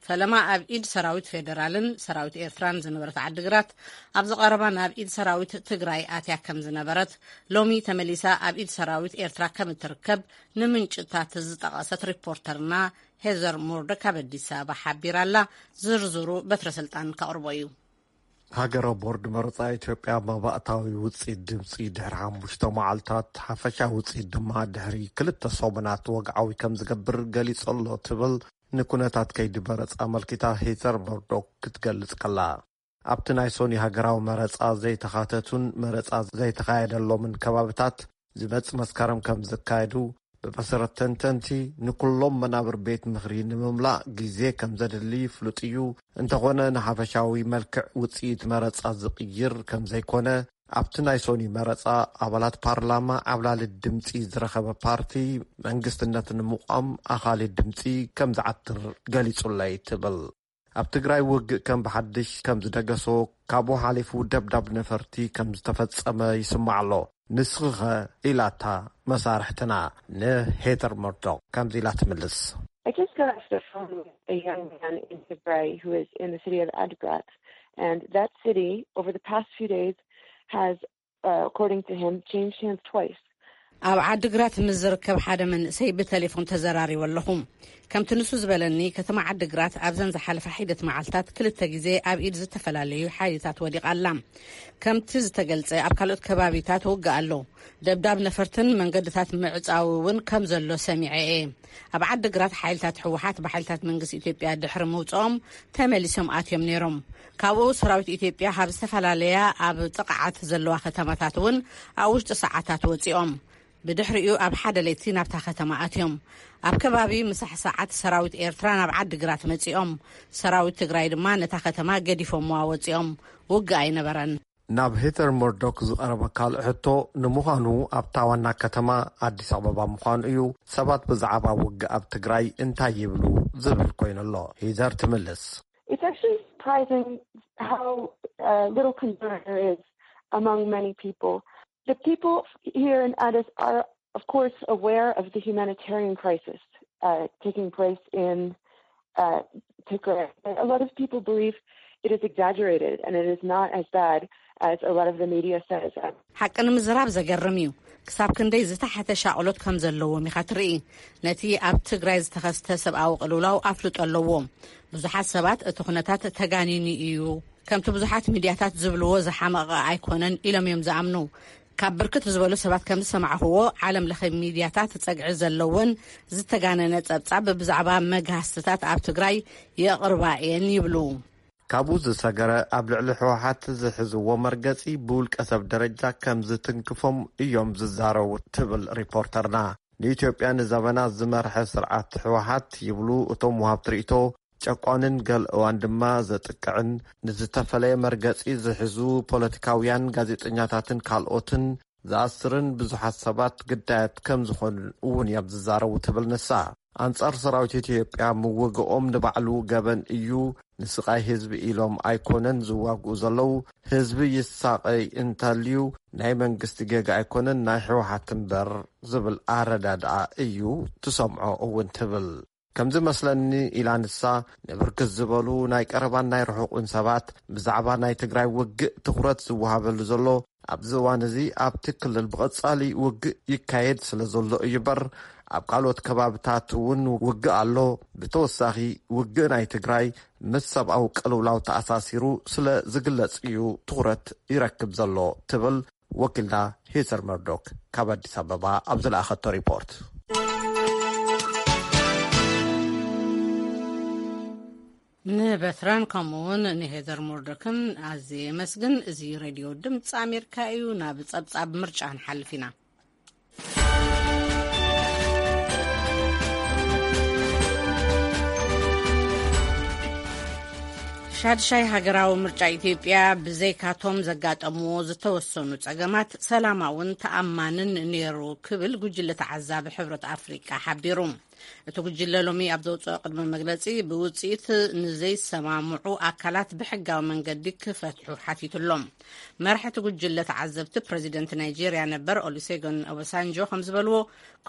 ፈለማ ኣብ ኢድ ሰራዊት ፌደራልን ሰራዊት ኤርትራን ዝነበረት ዓድግራት ኣብዚ ቀረባ ናብ ኢድ ሰራዊት ትግራይ ኣትያ ከም ዝነበረት፣ ሎሚ ተመሊሳ ኣብ ኢድ ሰራዊት ኤርትራ ከም እትርከብ ንምንጭታት ዝጠቐሰት ሪፖርተርና ሄዘር ሙርዶክ ካብ ኣዲስ ኣበባ ሓቢራ ኣላ። ዝርዝሩ በትረ ስልጣን ከቕርቦ እዩ። ሃገራዊ ቦርድ መረጻ ኢትዮጵያ መባእታዊ ውጽኢት ድምጺ ድሕሪ ሓሙሽተ መዓልታት፣ ሓፈሻዊ ውጽኢት ድማ ድሕሪ ክልተ ሰሙናት ወግዓዊ ከም ዝገብር ገሊጹ ኣሎ ትብል ንኩነታት ከይዲ መረጻ ኣመልኪታ ሄዘር መርዶክ ክትገልጽ ከላ። ኣብቲ ናይ ሶኒ ሃገራዊ መረጻ ዘይተኻተቱን መረጻ ዘይተኻየደሎምን ከባብታት ዝመጽእ መስከረም ከም ዝካየዱ ብመሰረት ተንተንቲ ንኩሎም መናብር ቤት ምኽሪ ንምምላእ ግዜ ከም ዘድሊ ፍሉጥ እዩ። እንተኾነ ንሓፈሻዊ መልክዕ ውጽኢት መረጻ ዝቕይር ከም ዘይኮነ ኣብቲ ናይ ሶኒ መረጻ ኣባላት ፓርላማ ዓብላሊ ድምጺ ዝረኸበ ፓርቲ መንግስትነት ንምቋም ኣኻሊ ድምጺ ከም ዝዓትር ገሊጹለይ ትብል። ኣብ ትግራይ ውግእ ከም ብሓድሽ ከም ዝደገሶ፣ ካብኡ ሓሊፉ ደብዳብ ነፈርቲ ከም ዝተፈጸመ ይስማዕ ኣሎ። ንስኺኸ? ኢላታ መሳርሕትና ንሄተር መርዶክ ከምዚ ኢላ ትምልስ። I just got off the phone with a young man in Tigray who is in the city of Adigrat, and that city over the past few days has, uh, according to him, changed hands twice. ኣብ ዓድግራት ምስ ዝርከብ ሓደ መንእሰይ ብቴሌፎን ተዘራሪበ ኣለኹ። ከምቲ ንሱ ዝበለኒ፣ ከተማ ዓድግራት ኣብዘን ዝሓለፋ ሒደት መዓልታት ክልተ ግዜ ኣብ ኢድ ዝተፈላለዩ ሓይልታት ወዲቓ ኣላ። ከምቲ ዝተገልጸ፣ ኣብ ካልኦት ከባቢታት ውግእ ኣሎ። ደብዳብ ነፈርትን መንገድታት ምዕጻው እውን ከም ዘሎ ሰሚዐ እየ። ኣብ ዓድግራት ሓይልታት ህወሓት ብሓይልታት መንግስቲ ኢትዮጵያ ድሕሪ ምውጽኦም ተመሊሶም ኣትዮም ነይሮም። ካብኡ ሰራዊት ኢትዮጵያ ካብ ዝተፈላለያ ኣብ ጥቕዓት ዘለዋ ከተማታት እውን ኣብ ውሽጢ ሰዓታት ወጺኦም። ብድሕሪኡ ኣብ ሓደ ለይቲ ናብታ ከተማ ኣትዮም። ኣብ ከባቢ ምሳሕ ሰዓት ሰራዊት ኤርትራ ናብ ዓድግራት መጺኦም። ሰራዊት ትግራይ ድማ ነታ ከተማ ገዲፎምዋ ወጺኦም። ውግእ ኣይነበረን። ናብ ሄተር መርዶክ ዝቐረበ ካልእ ሕቶ፣ ንምዃኑ ኣብታ ዋና ከተማ ኣዲስ ኣበባ ምዃኑ እዩ፣ ሰባት ብዛዕባ ውግእ ኣብ ትግራይ እንታይ ይብሉ ዝብል ኮይኑ ኣሎ። ሄዘር ትምልስ። It's actually surprising how, uh, little concern there is among many people. The people here in Addis are, of course, aware of the humanitarian crisis, uh, taking place in, uh, Tigray. A lot of people believe it is exaggerated and it is not as bad as a lot of the media says. ሓቂ ንምዝራብ ዘገርም እዩ። ክሳብ ክንደይ ዝተሓተ ሻቕሎት ከም ዘለዎም ኢኻ ትርኢ። ነቲ ኣብ ትግራይ ዝተኸስተ ሰብኣዊ ቅልውላው ኣፍልጦ ኣለዎም። ብዙሓት ሰባት እቲ ኩነታት ተጋኒኑ እዩ፣ ከምቲ ብዙሓት ሚድያታት ዝብልዎ ዝሓመቐ ኣይኮነን ኢሎም እዮም ዝኣምኑ። ካብ ብርክት ዝበሉ ሰባት ከም ዝሰማዕኽዎ፣ ዓለም ለኸ ሚድያታት ጸግዒ ዘለወን ዝተጋነነ ጸብጻብ ብዛዕባ መግሃስትታት ኣብ ትግራይ የቕርባ እየን ይብሉ። ካብኡ ዝሰገረ፣ ኣብ ልዕሊ ህወሓት ዝሕዝዎ መርገጺ ብውልቀ ሰብ ደረጃ ከም ዝትንክፎም እዮም ዝዛረቡ ትብል ሪፖርተርና። ንኢትዮጵያ ንዘበናት ዝመርሐ ስርዓት ህወሓት ይብሉ እቶም ወሃብቲ ርእይቶ፣ ጨቋንን ገለ እዋን ድማ ዘጥቅዕን፣ ንዝተፈለየ መርገጺ ዝሕዙ ፖለቲካውያን፣ ጋዜጠኛታትን ካልኦትን ዝኣስርን ብዙሓት ሰባት ግዳያት ከም ዝኾኑ እውን እዮም ዝዛረቡ ትብል ንሳ። ኣንጻር ሰራዊት ኢትዮጵያ ምውግኦም ንባዕሉ ገበን እዩ፣ ንስቓይ ህዝቢ ኢሎም ኣይኮነን ዝዋግኡ ዘለዉ፣ ህዝቢ ይሳቐይ እንተልዩ ናይ መንግስቲ ጌጋ ኣይኮነን ናይ ህወሓት እምበር ዝብል ኣረዳድኣ እዩ ትሰምዖ እውን ትብል። ከምዚ መስለኒ ኢላ ንሳ፣ ንብርክት ዝበሉ ናይ ቀረባን ናይ ርሑቕን ሰባት ብዛዕባ ናይ ትግራይ ውግእ ትኹረት ዝወሃበሉ ዘሎ ኣብዚ እዋን እዚ ኣብቲ ክልል ብቐጻሊ ውግእ ይካየድ ስለ ዘሎ እዩ እምበር ኣብ ካልኦት ከባብታት እውን ውግእ ኣሎ። ብተወሳኺ ውግእ ናይ ትግራይ ምስ ሰብኣዊ ቅልውላው ተኣሳሲሩ ስለ ዝግለጽ እዩ ትኹረት ይረክብ ዘሎ ትብል ወኪልና ሄዘር መርዶክ ካብ ኣዲስ ኣበባ ኣብ ዝለኣኸቶ ሪፖርት። ንበትራን ከምኡውን ንሄዘር ሞርዶክን ኣዝየ የመስግን። እዚ ሬድዮ ድምፂ ኣሜሪካ እዩ። ናብ ጸብጻብ ምርጫ ንሓልፍ ኢና። ሻድሻይ ሃገራዊ ምርጫ ኢትዮጵያ ብዘይካቶም ዘጋጠምዎ ዝተወሰኑ ጸገማት ሰላማውን ተኣማንን ነይሩ ክብል ጉጅለ ተዓዛቢ ሕብረት ኣፍሪቃ ሓቢሩ። እቲ ጉጅለ ሎሚ ኣብ ዘውፅኦ ቅድመ መግለፂ ብውፅኢት ንዘይሰማምዑ ኣካላት ብሕጋዊ መንገዲ ክፈትሑ ሓቲቱ ኣሎ። መራሒ እቲ ጉጅለ ተዓዘብቲ ፕረዚደንት ናይጄርያ ነበር ኦሉሴጎን ኦባሳንጆ ከም ዝበልዎ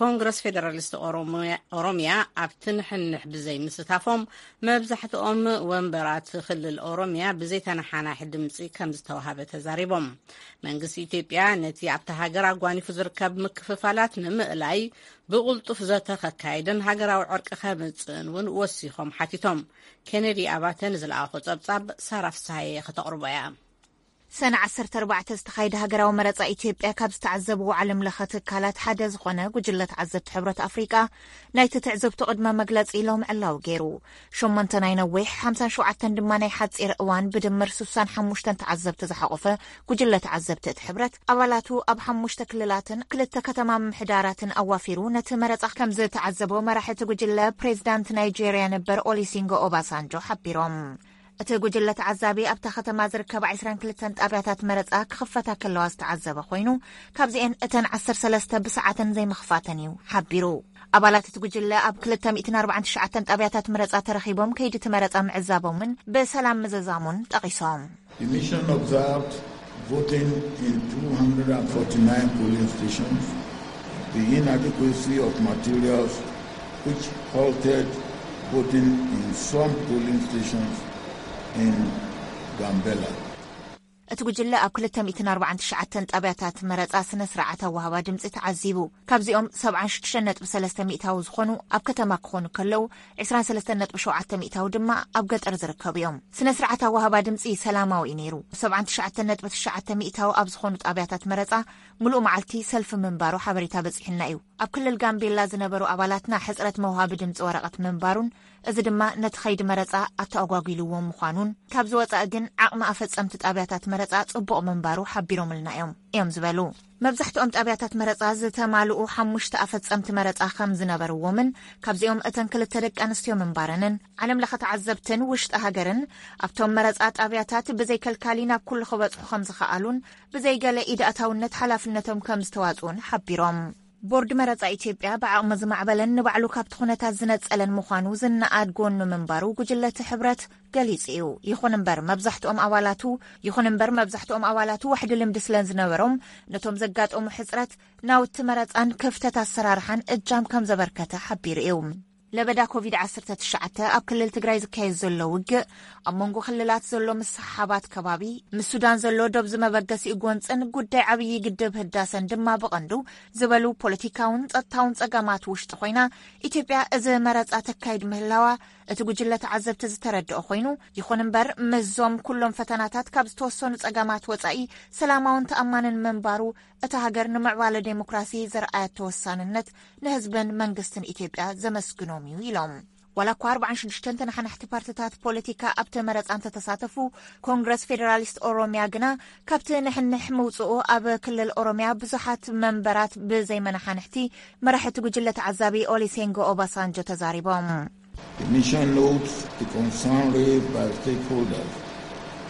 ኮንግረስ ፌደራሊስት ኦሮሚያ ኣብቲ ንሕንሕ ብዘይ ምስታፎም መብዛሕትኦም ወንበራት ክልል ኦሮሚያ ብዘይተነሓናሒ ድምፂ ከም ዝተዋሃበ ተዛሪቦም። መንግስቲ ኢትዮጵያ ነቲ ኣብታ ሃገር ኣጓኒፉ ዝርከብ ምክፍፋላት ንምእላይ ብቕልጡፍ ዘተ ከካይድን ሃገራዊ ዕርቂ ከምጽእን እውን ወሲኾም ሓቲቶም። ኬነዲ ኣባተ ንዝለኣኾ ጸብጻብ ሳራ ፍስሃየ ከተቕርቦ እያ። ሰነ ዓሰርተ ኣርባዕተ ዝተኻየደ ሃገራዊ መረጻ ኢትዮጵያ ካብ ዝተዓዘብዎ ዓለም ለኸ ትካላት ሓደ ዝኾነ ጉጅለ ተዓዘብቲ ሕብረት ኣፍሪቃ ናይቲ ትዕዝብቱ ቅድመ መግለጺ ሎም ዕላዊ ገይሩ። ሸሞንተ ናይ ነዊሕ፣ ሓምሳን ሸውዓተን ድማ ናይ ሓጺር እዋን ብድምር ስሳን ሓሙሽተን ተዓዘብቲ ዝሓቖፈ ጉጅለ ተዓዘብቲ እቲ ሕብረት ኣባላቱ ኣብ ሓሙሽተ ክልላትን ክልተ ከተማ ምምሕዳራትን ኣዋፊሩ ነቲ መረጻ ከም ዝተዓዘቦ መራሒ እቲ ጉጅለ ፕሬዚዳንት ናይጄርያ ነበር ኦሊሲንጎ ኦባሳንጆ ሓቢሮም። እቲ ጉጅለ ተዓዛቢ ኣብታ ከተማ ዝርከባ ዕስራን ክልተን ጣብያታት መረጻ ክኽፈታ ከለዋ ዝተዓዘበ ኮይኑ ካብዚኤን እተን ዓሰርተ ሰለስተ ብሰዓተን ዘይምኽፋተን እዩ ሓቢሩ። ኣባላት እቲ ጉጅለ ኣብ ክልተ ሚእትን ኣርባዓን ትሽዓተን ጣብያታት መረጻ ተረኺቦም ከይዲ እቲ መረጻ ምዕዛቦምን ብሰላም ምዝዛሙን ጠቒሶም። The mission observed voting in two hundred forty-nine polling stations, the inadequacy of materials which halted voting in some polling stations in Gambela. እቲ ጉጅለ ኣብ ክልተ ሚእትን ኣርባዓን ትሽዓተን ጣብያታት መረጻ ስነ ስርዓት ኣወሃባ ድምጺ ተዓዚቡ። ካብዚኦም ሰብዓን ሽዱሽተን ነጥቢ ሰለስተ ሚእታዊ ዝኾኑ ኣብ ከተማ ክኾኑ ከለዉ፣ ዕስራን ሰለስተን ነጥቢ ሸውዓተ ሚእታዊ ድማ ኣብ ገጠር ዝርከቡ እዮም። ስነ ስርዓት ኣወሃባ ድምጺ ሰላማዊ እዩ ነይሩ። ሰብዓን ትሽዓተን ነጥቢ ትሽዓተ ሚእታዊ ኣብ ዝኾኑ ጣብያታት መረጻ ምሉእ መዓልቲ ሰልፊ ምንባሩ ሓበሬታ በጺሑና እዩ። ኣብ ክልል ጋምቤላ ዝነበሩ ኣባላትና ሕጽረት መውሃቢ ድምጺ ወረቐት ምንባሩን እዚ ድማ ነቲ ኸይዲ መረጻ ኣተኣጓጒልዎ ምዃኑን፣ ካብዚ ወጻኢ ግን ዓቕሚ ኣፈጸምቲ ጣብያታት መረጻ ጽቡቕ ምንባሩ ሓቢሮምልና እዮም እዮም ዝበሉ። መብዛሕትኦም ጣብያታት መረጻ ዝተማልኡ ሓሙሽተ ኣፈጸምቲ መረጻ ከም ዝነበርዎምን ካብዚኦም እተን ክልተ ደቂ ኣንስትዮ ምንባረንን ዓለም ለኸ ተዓዘብትን ውሽጢ ሃገርን ኣብቶም መረጻ ጣብያታት ብዘይ ከልካሊ ናብ ኩሉ ክበጽሑ ከም ዝኸኣሉን ብዘይ ገለ ኢድ ኣታውነት ሓላፍነቶም ከም ዝተዋጽኡን ሓቢሮም። ቦርድ መረጻ ኢትዮጵያ ብዓቕሚ ዝማዕበለን ንባዕሉ ካብቲ ኩነታት ዝነጸለን ምዃኑ ዝነኣድ ጎኑ ምንባሩ ጉጅለ እቲ ሕብረት ገሊጹ እዩ። ይኹን እምበር መብዛሕትኦም ኣባላቱ ይኹን እምበር መብዛሕትኦም ኣባላቱ ዋሕዲ ልምዲ ስለ ዝነበሮም ነቶም ዘጋጠሙ ሕጽረት ናውቲ መረጻን ክፍተት ኣሰራርሓን እጃም ከም ዘበርከተ ሓቢሩ እዩ። ለበዳ ኮቪድ ዓሰርተ ትሽዓተ ኣብ ክልል ትግራይ ዝካየድ ዘሎ ውግእ፣ ኣብ መንጎ ክልላት ዘሎ ምስሕሓባት ከባቢ፣ ምስ ሱዳን ዘሎ ዶብ ዝመበገሲኡ ጎንፅን ጉዳይ ዓብዪ ግድብ ህዳሰን ድማ ብቐንዱ ዝበሉ ፖለቲካውን ጸጥታውን ጸገማት ውሽጢ ኮይና፣ ኢትዮጵያ እዚ መረጻ ተካይድ ምህላዋ እቲ ጉጅለ ተዓዘብቲ ዝተረድኦ ኮይኑ፣ ይኹን እምበር ምስዞም ኩሎም ፈተናታት ካብ ዝተወሰኑ ጸገማት ወጻኢ ሰላማውን ተኣማንን ምንባሩ እታ ሃገር ንምዕባለ ዴሞክራሲ ዘርኣየቶ ወሳንነት ንህዝብን መንግስትን ኢትዮጵያ ዘመስግኖም እዩ ኢሎም። ዋላ እኳ ኣርባዓን ሽዱሽተን ተነሓናሕቲ ፓርትታት ፖለቲካ ኣብቲ መረጻ እንተተሳተፉ፣ ኮንግረስ ፌዴራሊስት ኦሮሚያ ግና ካብቲ ንሕንሕ ምውጽኡ ኣብ ክልል ኦሮሚያ ብዙሓት መንበራት ብዘይመነሓንሕቲ መራሕቲ ጉጅለ ተዓዛቢ ኦሊሴንጎ ኦባሳንጆ ተዛሪቦም። The mission notes the concern raised by stakeholders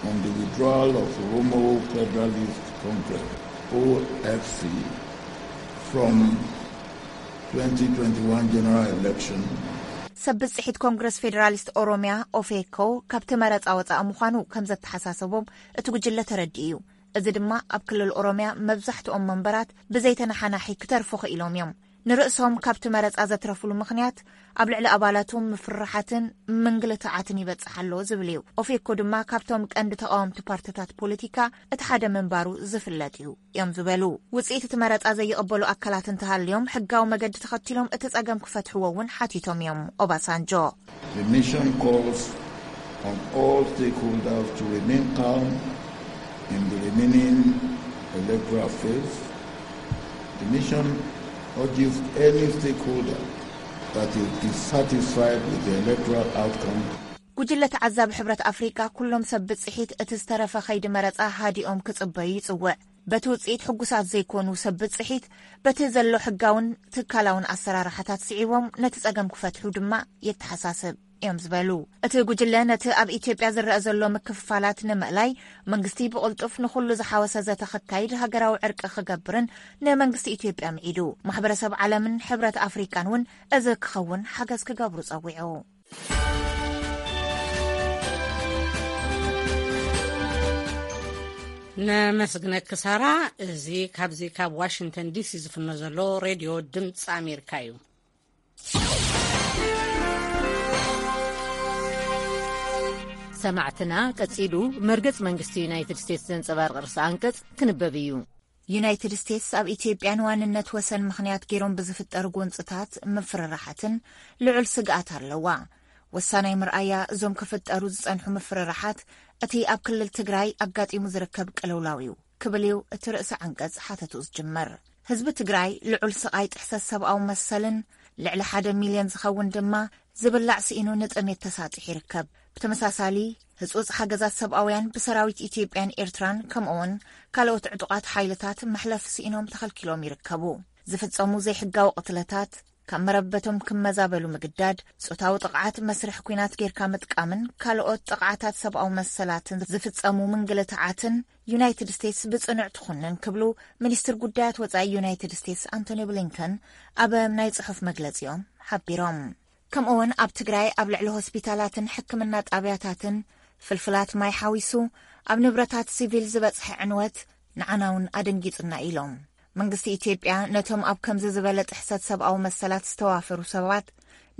on the withdrawal of Oromo Federalist Congress O F C from twenty twenty-one general election. ሰብ ብጽሒት ኮንግረስ ፌዴራሊስት ኦሮሚያ ኦፌኮ ካብቲ መረጻ ወጻኢ ምዃኑ ከም ዘተሓሳሰቦም እቲ ጉጅለ ተረዲኡ እዩ። እዚ ድማ ኣብ ክልል ኦሮሚያ መብዛሕትኦም መንበራት ብዘይተነሓናሒ ክተርፉ ክኢሎም እዮም። ንርእሶም ካብቲ መረጻ ዘትረፍሉ ምኽንያት ኣብ ልዕሊ ኣባላቱ ምፍርራሓትን ምንግልታዓትን ይበጽሕ ኣሎ ዝብል እዩ። ኦፌኮ ድማ ካብቶም ቀንዲ ተቓወምቲ ፓርትታት ፖለቲካ እቲ ሓደ ምንባሩ ዝፍለጥ እዩ እዮም ዝበሉ። ውጽኢት እቲ መረጻ ዘይቕበሉ ኣካላት እንተሃልዮም ሕጋዊ መገዲ ተኸቲሎም እቲ ጸገም ክፈትሕዎ እውን ሓቲቶም እዮም ኦባሳንጆ። The mission calls on all stakeholders to remain calm in the remaining electoral phase. The mission urges any stakeholder that is dissatisfied with the electoral outcome. ጉጅለ ተዓዛቢ ሕብረት ኣፍሪቃ ኩሎም ሰብ ብጽሒት እቲ ዝተረፈ ከይዲ መረጻ ሃዲኦም ክጽበዩ ይጽውዕ። በቲ ውጽኢት ሕጉሳት ዘይኮኑ ሰብ ብጽሒት በቲ ዘሎ ሕጋውን ትካላውን ኣሰራርሓታት ስዒቦም ነቲ ጸገም ክፈትሑ ድማ የተሓሳስብ እዮም ዝበሉ። እቲ ጉጅለ ነቲ ኣብ ኢትዮጵያ ዝረአ ዘሎ ምክፍፋላት ንምእላይ መንግስቲ ብቕልጡፍ ንኹሉ ዝሓወሰ ዘተ ክካይድ ሃገራዊ ዕርቂ ክገብርን ንመንግስቲ ኢትዮጵያ ምዒዱ። ማሕበረሰብ ዓለምን ሕብረት ኣፍሪቃን እውን እዚ ክኸውን ሓገዝ ክገብሩ ጸዊዑ። ነመስግነኪ ሳራ። እዚ ካብዚ ካብ ዋሽንግተን ዲሲ ዝፍኖ ዘሎ ሬድዮ ድምፂ ኣሜሪካ እዩ። ሰማዕትና፣ ቀጺሉ መርገጽ መንግስቲ ዩናይትድ ስቴትስ ዘንጸባርቕ ርእሰ ኣንቀጽ ክንበብ እዩ። ዩናይትድ ስቴትስ ኣብ ኢትዮጵያ ንዋንነት ወሰን ምኽንያት ገይሮም ብዝፍጠሩ ጎንፅታት፣ ምፍርራሓትን ልዑል ስግኣት ኣለዋ። ወሳናይ ምርኣያ እዞም ክፍጠሩ ዝጸንሑ ምፍርራሓት እቲ ኣብ ክልል ትግራይ ኣጋጢሙ ዝርከብ ቅልውላው እዩ ክብል እዩ እቲ ርእሰ ዓንቀጽ ሓተቱ ዝጅምር። ህዝቢ ትግራይ ልዑል ስቓይ ጥሕሰት ሰብኣዊ መሰልን ልዕሊ ሓደ ሚልዮን ዝኸውን ድማ ዝብላዕ ስኢኑ ንጥሜት ተሳጢሑ ይርከብ። ብተመሳሳሊ፣ ህጹጽ ሓገዛት ሰብኣውያን ብሰራዊት ኢትዮጵያን ኤርትራን ከምኡውን ካልኦት ዕጡቓት ሓይልታት መሕለፊ ስኢኖም ተኸልኪሎም ይርከቡ። ዝፍጸሙ ዘይሕጋዊ ቅትለታት፣ ካብ መረበቶም ክመዛበሉ ምግዳድ፣ ጾታዊ ጥቕዓት መስርሕ ኲናት ጌርካ ምጥቃምን ካልኦት ጥቕዓታት ሰብኣዊ መሰላትን ዝፍጸሙ ምንግልታዓትን ዩናይትድ ስቴትስ ብጽኑዕ ትኹንን ክብሉ ሚኒስትር ጉዳያት ወጻኢ ዩናይትድ ስቴትስ ኣንቶኒ ብሊንከን ኣብ ናይ ጽሑፍ መግለጺኦም ሓቢሮም። ከምኡውን ኣብ ትግራይ ኣብ ልዕሊ ሆስፒታላትን ሕክምና ጣብያታትን ፍልፍላት ማይ ሓዊሱ ኣብ ንብረታት ሲቪል ዝበጽሐ ዕንወት ንዓና እውን ኣደንጊጹና ኢሎም። መንግስቲ ኢትዮጵያ ነቶም ኣብ ከምዚ ዝበለ ጥሕሰት ሰብኣዊ መሰላት ዝተዋፈሩ ሰባት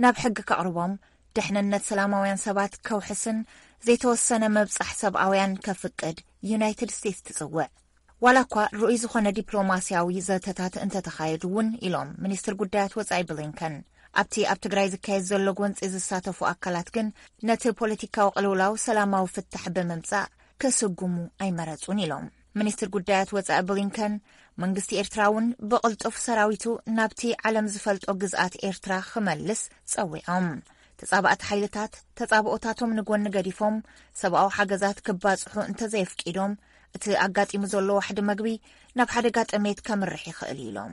ናብ ሕጊ ከቕርቦም፣ ደሕንነት ሰላማውያን ሰባት ከውሕስን ዘይተወሰነ መብጻሕ ሰብኣውያን ከፍቅድ ዩናይትድ ስቴትስ ትጽውዕ። ዋላ እኳ ርኡይ ዝኾነ ዲፕሎማስያዊ ዘተታት እንተተኻየዱ እውን ኢሎም ሚኒስትር ጉዳያት ወጻኢ ብሊንከን። ኣብቲ ኣብ ትግራይ ዝካየድ ዘሎ ጎንፂ ዝሳተፉ ኣካላት ግን ነቲ ፖለቲካዊ ቅልውላው ሰላማዊ ፍታሕ ብምምጻእ ክስጉሙ ኣይመረጹን ኢሎም። ሚኒስትር ጉዳያት ወጻኢ ብሊንከን መንግስቲ ኤርትራ እውን ብቕልጡፍ ሰራዊቱ ናብቲ ዓለም ዝፈልጦ ግዝኣት ኤርትራ ክመልስ ጸዊዖም። ተጻባእቲ ሓይልታት ተጻብኦታቶም ንጎኒ ገዲፎም ሰብኣዊ ሓገዛት ክባጽሑ እንተዘየፍቂዶም እቲ ኣጋጢሙ ዘሎ ዋሕዲ መግቢ ናብ ሓደጋ ጥሜት ከምርሕ ይኽእል ኢሎም።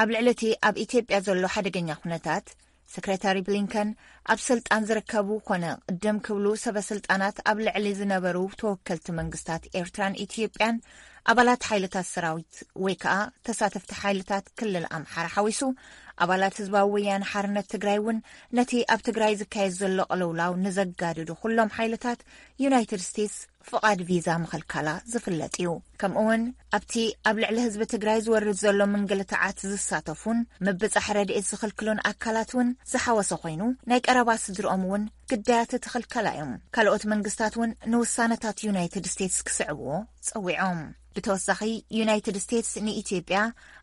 ኣብ ልዕሊ እቲ ኣብ ኢትዮጵያ ዘሎ ሓደገኛ ኩነታት፣ ሰክረታሪ ብሊንከን ኣብ ስልጣን ዝርከቡ ኮነ ቅድም ክብሉ ሰበ ስልጣናት ኣብ ልዕሊ ዝነበሩ ተወከልቲ መንግስታት ኤርትራን ኢትዮጵያን ኣባላት ሓይልታት ሰራዊት ወይ ከዓ ተሳተፍቲ ሓይልታት ክልል ኣምሓራ ሓዊሱ ኣባላት ህዝባዊ ወያነ ሓርነት ትግራይ እውን ነቲ ኣብ ትግራይ ዝካየድ ዘሎ ቅልውላው ንዘጋድዱ ኩሎም ሓይልታት ዩናይትድ ስቴትስ ፍቓድ ቪዛ ምኽልካላ ዝፍለጥ እዩ። ከምኡውን ኣብቲ ኣብ ልዕሊ ህዝቢ ትግራይ ዝወርድ ዘሎ ምንግልታዓት ዝሳተፉን ምብጻሕ ረድኤት ዝኽልክሉን ኣካላት እውን ዝሓወሰ ኮይኑ ናይ ቀረባ ስድርኦም እውን ግዳያት እቲ ክልከላ እዮም። ካልኦት መንግስታት እውን ንውሳነታት ዩናይትድ ስቴትስ ክስዕብዎ ጸዊዖም። ብተወሳኺ ዩናይትድ ስቴትስ ንኢትዮጵያ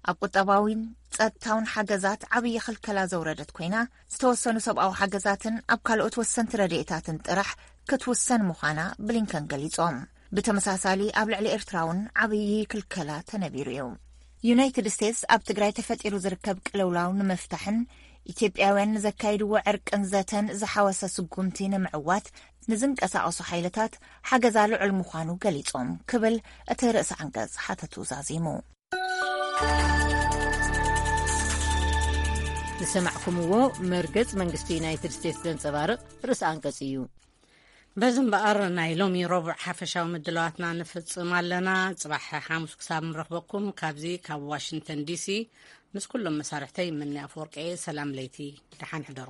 ኣብ ቁጠባዊን ጸጥታውን ሓገዛት ዓብዪ ክልከላ ዘውረደት ኮይና ዝተወሰኑ ሰብኣዊ ሓገዛትን ኣብ ካልኦት ወሰንቲ ረድኤታትን ጥራሕ ክትውሰን ምዃና ብሊንከን ገሊጾም። ብተመሳሳሊ ኣብ ልዕሊ ኤርትራ እውን ዓብዪ ክልከላ ተነቢሩ እዩ። ዩናይትድ ስቴትስ ኣብ ትግራይ ተፈጢሩ ዝርከብ ቅልውላው ንምፍታሕን ኢትዮጵያውያን ንዘካይድዎ ዕርቅን ዘተን ዝሓወሰ ስጉምቲ ንምዕዋት ንዝንቀሳቐሱ ሓይልታት ሓገዛ ልዑል ምዃኑ ገሊጾም ክብል እቲ ርእሰ ዓንቀጽ ሓተቱ ዛዚሙ። ዝሰማዕኩምዎ መርገጽ መንግስቲ ዩናይትድ ስቴትስ ዘንጸባርቕ ርእሰ ኣንቀጽ እዩ። በዚ እምበኣር ናይ ሎሚ ረቡዕ ሓፈሻዊ ምድላዋትና ንፍጽም ኣለና። ጽባሕ ሓሙስ ክሳብ ንረኽበኩም ካብዚ ካብ ዋሽንግተን ዲሲ ምስ ኩሎም መሳርሕተይ ምኒ ኣፈወርቂ ሰላም ለይቲ፣ ደሓን ሕደሩ።